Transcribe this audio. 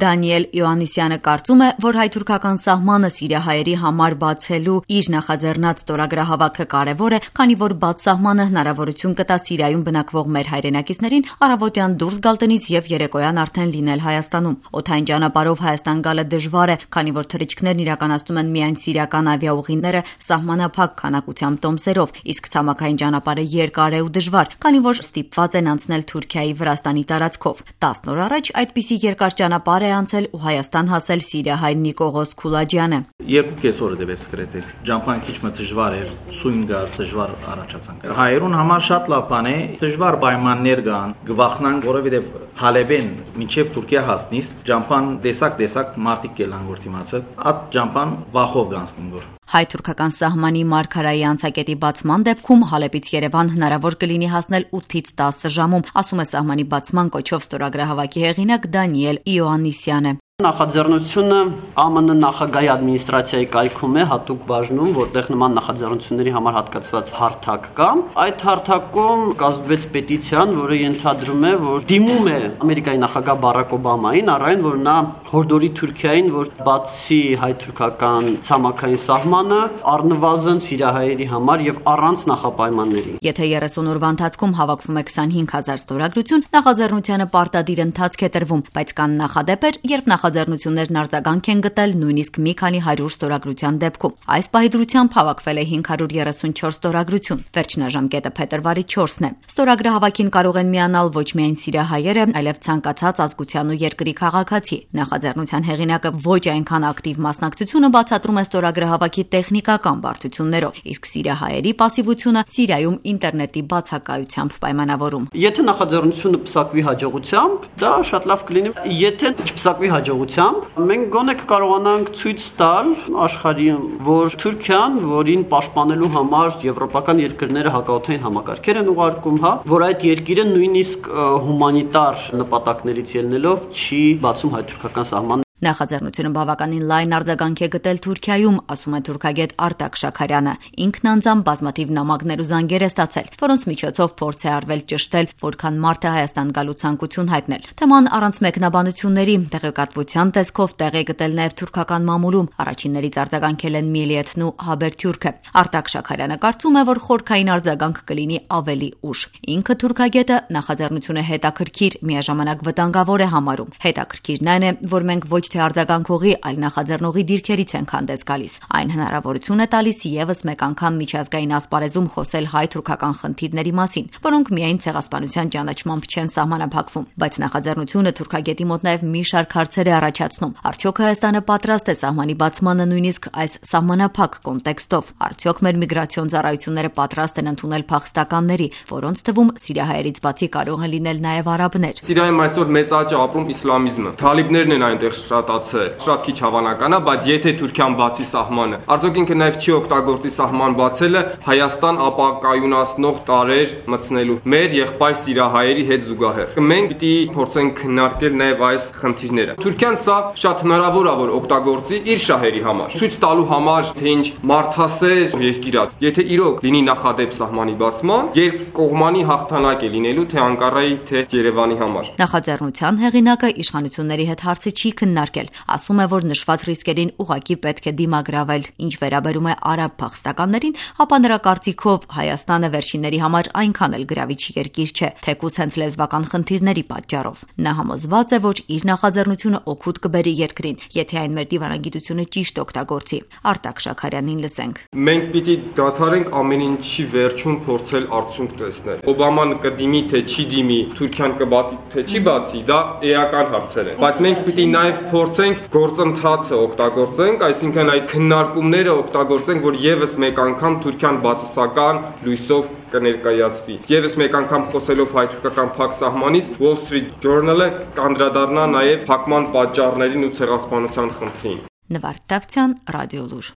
Դանիել Իոաննիսյանը կարծում է, որ հայ-թուրքական սահմանը սիրիահայերի համար բացելու իր նախաձեռնած ստորագրահավաքը կարևոր է, քանի որ բաց սահմանը հնարավորություն կտա Սիրիայում բնակվող մեր հայրենակիցներին առավոտյան դուրս գալ տնից եւ երեկոյան արդեն լինել Հայաստանում։ Օդային ճանապարհով Հայաստան գալը դժվար է, քանի որ թռիչքներն իրականացնում են միայն սիրիական ավիաուղիները սահմանափակ քանակությամբ տոմսերով, իսկ ցամաքային ճանապարհը երկար է ու դժվար, քանի որ ստիպված են անցնել Թուրքիայի Վրաստանի տարածքով։ 10 օր առաջ այդպիսի երկար ճանապարհ է անցել ու Հայաստան հասել սիրիահայ Նիկողոս Քուլաջյանը։ 2 օր դեպս գրեթե ճամփան քիչ մը դժվար էր, սույն գար դժվար առաջացանք։ Հայերուն համար շատ լավ բան է, դժվար պայմաններ կան, գվախնան, որովհետև Հալեբեն մինչև Թուրքիա հասնիս ճամփան տեսակ մարտիկ կելան որ դիմացը, այդ ճամփան վախով գանցնին որ։ Հայ-թուրքական սահմանի մարգարայի անցակետի բացման դեպքում Հալեբից Երևան հնարավոր կլինի հասնել 8-ից 10 ժամում, ասում է սահմանի բացման կոչով ստորագրահավաքի հեղինակ Դանիել Իոաննիսյանը։ Նախաձեռնությունը ԱՄՆ նախագահի ադմինիստրացիայի կայքում է հատուկ բաժնում, որտեղ նման նախաձեռնությունների համար հատկացված հարթակ կա։ Այդ հարթակում կազմվեց պետիցիան, որը ենթադրում է, որ դիմում է Ամերիկայի նախագահ Բարակ Օբամային առայն, որ նա հորդորի Թուրքիային, որ բացի հայ-թուրքական ցամաքային սահմանը առնվազն սիրիահայերի համար եւ առանց նախապայմանների։ Եթե 30 օրվա ընթացքում հավաքվում է 25000 ստորագրություն, նախաձեռնությանը պարտադիր ընթացք է տրվում, բայց կան նախադեպեր, երբ նախաձեռնություններն արձագանք են գտել նույնիսկ մի քանի 100 ստորագրության դեպքում։ Այս պահի դրությամբ հավաքվել է 534 ստորագրություն։ Վերջնաժամկետը փետրվարի 4-ն է։ Ստորագրահավաքին կարող են միանալ ոչ միայն սիրիահայերը, այլև ցանկացած ազգության ու երկրի քաղաքացի։ Նախաձեռնության հեղինակը ոչ այնքան ակտիվ մասնակցությունը բացատրում է ստորագրահավաքի տեխնիկական բարդություններով, իսկ սիրիահայերի պասիվությունը Սիրիայում ինտերնետի բացակայությամբ պայմանավորում։ Եթե նախաձեռնությունը պսակվի հաջողությամբ, դա շատ լավ կլինի։ Եթե չպսակվի հաջողությամբ, մենք գոնե կկարողանանք ցույց տալ աշխարհին, որ Թուրքիան, որին պաշտպանելու համար եվրոպական երկրները հակաօդային համակարգեր են ուղարկում, որ այդ երկիրը նույնիսկ հումանիտար նպատակներից ելնելով չի բացում հայ-թուրքական սահմանը։ Նախաձեռնությունը բավականին լայն արձագանք է գտել Թուրքիայում, ասում է թուրքագետ Արտակ Շաքարյանը։ Ինքն անձամբ բազմաթիվ նամակներ ու զանգեր է ստացել, որոնց միջոցով փորձ է արվել ճշտել, որքան մարդ է Հայաստան գալու ցանկություն հայտնել։ Թեման առանց մեկնաբանությունների, տեղեկատվության տեսքով տեղ է գտել նաև թուրքական մամուլում։ Առաջիններից արձագանքել են Միլիեթն ու Հաբերթյուրքը։ Արտակ Շաքարյանը կարծում է, որ խորքային արձագանք կլինի ավելի ուշ։ Ինքը թուրքագետը նախաձեռնությունը հետաքրքիր, միաժամանակ վտանգավոր է համարում։ Հետաքրքիրն այն է, որ մենք ոչ թե արձագանքողի, այլ նախաձեռնողի դիրքերից են հանդես գալիս։ Այն հնարավորություն է տալիս եւս մեկ անգամ միջազգային ասպարեզում խոսել հայ-թուրքական խնդիրների մասին, որոնք միայն ցեղասպանության ճանաչմամբ չեն սահմանափակվում։ Բայց նախաձեռնությունը թուրքագետի մոտ նաեւ մի շարք հարցեր է առաջացնում։ Արդյոք Հայաստանը պատրաստ է սահմանի բացմանը նույնիսկ այս սահմանափակ կոնտեքստով։ Արդյոք մեր միգրացիոն ծառայությունները պատրաստ են ընդունել փախստականների, որոնց թվում սիրիահայերից բացի կարող են լինել նաեւ արաբներ։ Սիրիայում այսօր մեծ աճ է ապրում իսլամիզմը։ Թալիբներն են այնտեղ շատացել, շատ քիչ հավանական է, բայց եթե Թուրքիան բացի սահմանը, արդյոք ինքը նաև չի օգտագործի սահման բացելը Հայաստան ապակայունացնող տարեր մտցնելու մեր եղբայր սիրիահայերի հետ զուգահեռ։ Մենք պիտի փորձենք քննարկել նաև այս խնդիրները։ Թուրքիան սա շատ հնարավոր է որ օգտագործի իր շահերի համար, ցույց տալու համար, թե ինչ մարդասեր երկիր է։ Եթե իրոք լինի նախադեպ սահմանի բացման, երկկողմանի հաղթանակ է լինելու թե Անկարայի, թե Երևանի համար։ Նախաձեռնության հեղինակը իշխանությունների հետ հարցը չի քննարկել, ասում է, որ նշված ռիսկերին ուղղակի պետք է դիմագրավել։ Ինչ վերաբերում է արաբ փախստականներին, ապա նրա կարծիքով Հայաստանը վերջինների համար այնքան էլ գրավիչ երկիր չէ, թեկուզ հենց լեզվական խնդիրների պատճառով։ Նա համոզված է, որ իր նախաձեռնությունը օգուտ կբերի երկրին, եթե այն մեր դիվանագիտությունը ճիշտ օգտագործի։ Արտակ Շաքարյանին լսենք։ Մենք պիտի դադարենք ամեն ինչի վերջում փորձել արդյունք տեսնել։ Օբաման կդիմի թե չի դիմի, Թուրքիան կբացի թե չի բացի, դա էական հարցեր են։ Բայց մենք պիտի նաև փորձենք գործընթացը օգտագործենք, այսինքն այդ քննարկումները օգտագործենք, որ եւս մեկ անգամ Թուրքիան բացասական լույսով կներկայացվի։ Եվս մեկ անգամ խոսելով հայ-թուրքական փակ սահմանից, Wall Street Journal-ը կանդրադառնա նաև փակման պատճառներին ու ցեղասպանության խնդրին։ Նվարդ Դավթյան, Ռադիոլուր։